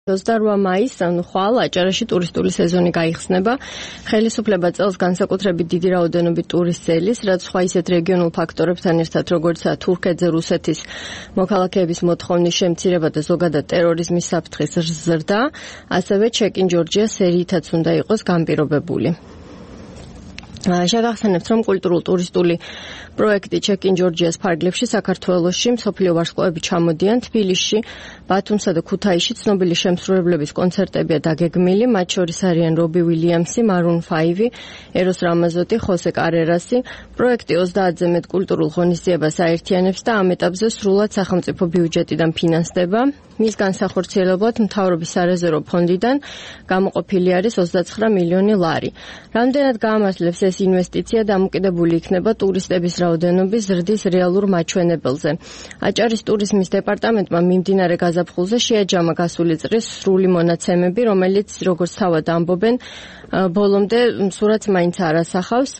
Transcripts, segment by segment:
28 მაისს ხვალ აჭარაში ტურისტული სეზონი გაიხსნება. ხელისუფლება წელს განსაკუთრებით დიდი რაოდენობით ტურისტს ელის, რაც სხვა ისეთ რეგიონულ ფაქტორებთან ერთად, როგორიცაა თურქეთზე რუსეთის მოქალაქეების მოთხოვნის შემცირება და ზოგადად ტერორიზმის საფრთხის ზრდა, ასევე check-in Georgia სერიითაც უნდა იყოს განპირობებული. შეგახსენებთ, რომ კულტურულ-ტურისტული პროექტი check-in Georgia-ს ფარგლებში საქართველოში მსოფლიო ვარსკვლავები ჩამოდიან. თბილისში, ბათუმსა და ქუთაისში ცნობილი შემსრულებლების კონცერტებია დაგეგმილი, მათ შორის არიან რობი უილიამსი, Maroon 5, ეროს რამაზოტი, ხოსე კარერასი. პროექტი 30-ზე მეტ კულტურულ ღონისძიებას აერთიანებს და ამ ეტაპზე სრულად სახელმწიფო ბიუჯეტიდან ფინანსდება. მის განსახორციელებლად მთავრობის სარეზერვო ფონდიდან გამოყოფილი არის 29 მილიონი ლარი. რამდენად გაამართლებს ეს ინვესტიცია დამოკიდებული იქნება ტურისტების რაოდენობის ზრდის რეალურ მაჩვენებელზე. აჭარის ტურიზმის დეპარტამენტმა მიმდინარე გაზაფხულზე შეაჯამა გასული წრის სრული მონაცემები, რომელიც, როგორც თავად ამბობენ, ბოლომდე სურათს მაინც არ ასახავს.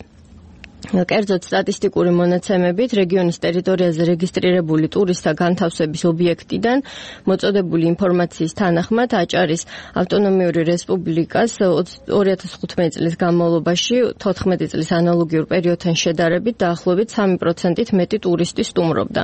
კერძოდ სტატისტიკური მონაცემებით რეგიონის ტერიტორიაზე რეგისტრირებული ტურისტთა განთავსების ობიექტიდან მოწოდებული ინფორმაციის თანახმად აჭარის ავტონომიური რესპუბლიკას 2015 წლის განმავლობაში 14 წლის ანალოგიურ პერიოდთან შედარებით დაახლოებით 3%-ით მეტი ტურისტი სტუმრობდა.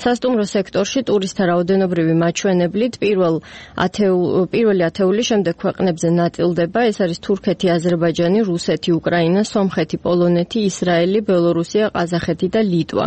სასტუმრო სექტორში ტურისტთა რაოდენობრივი მაჩვენებლით პირველი ათეული შემდეგ ქვეყნებზე ნაწილდება. ეს არის თურქეთი, აზერბაიჯანი, რუსეთი, უკრაინა, სომხეთი, პოლონეთი, ისრაელი, ბელორუსია, ყაზახეთი და ლიტვა.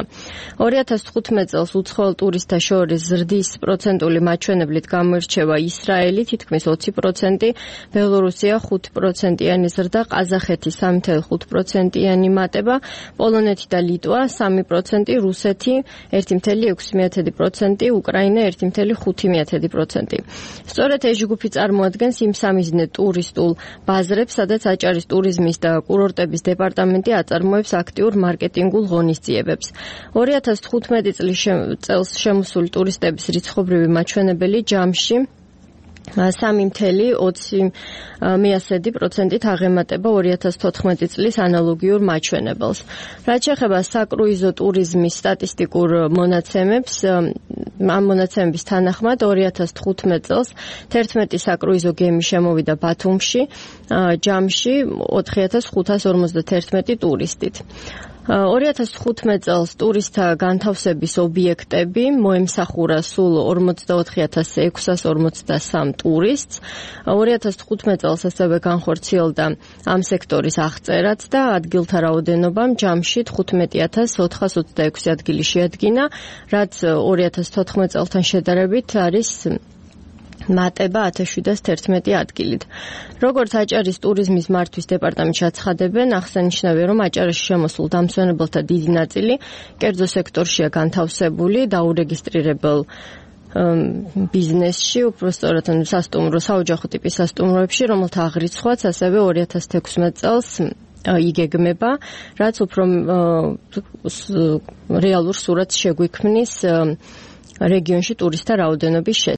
2015 წელს უცხოელ ტურისტთა შორის ზრდის პროცენტული მაჩვენებლით გამოირჩევა ისრაელი თითქმის 20%, ბელორუსია 5%-იანი ზრდა, ყაზახეთი 3.5%-იანი მატება, პოლონეთი და ლიტვა 3%, რუსეთი 1.6%, უკრაინა 1.5%. სწორედ ეს ჯგუფი წარმოადგენს იმ სამიზნე ტურისტულ ბაზრებს, სადაც აჭარის ტურიზმის და კურორტების დეპარტამენტი აწარმოებს აქტიურ მარკეტინგულ ღონისძიებებს. 2015 წელს შემოსული ტურისტების რიცხობრივი მაჩვენებელი ჯამში 3.20%-ით აღემატება 2014 წლის ანალოგიურ მაჩვენებელს. რაც შეეხება საკრუიზო ტურიზმის სტატისტიკურ მონაცემებს, ამ მონაცემების თანახმად 2015 წელს 11 საკრუიზო გემი შემოვიდა ბათუმში, ჯამში 4551 ტურისტით. 2015 წელს ტურისტთა განთავსების ობიექტები მოემსახურა სულ 44643 ტურისტს. 2015 წელს ასევე განხორციელდა ამ სექტორის აღწერაც და ადგილთა რაოდენობამ ჯამში 15426 ადგილი შეადგინა, რაც 2014 წელთან შედარებით არის მატება 1711 ადგილით. როგორც აჭარის ტურიზმის მართვის დეპარტამენტში აცხადებენ, აღსანიშნავია, რომ აჭარაში შემოსულ დამსვენებელთა დიდი ნაწილი კერძო სექტორშია განთავსებული დაურეგისტრირებელ ბიზნესში, უпростоრად სასტუმრო, საოჯახო ტიპის სასტუმროებში, რომელთა აღრიცხვაც ასევე 2016 წელს იგეგმება, რაც უფრო რეალურ სურათს შეგვიქმნის რეგიონში ტურისტთა რაოდენობის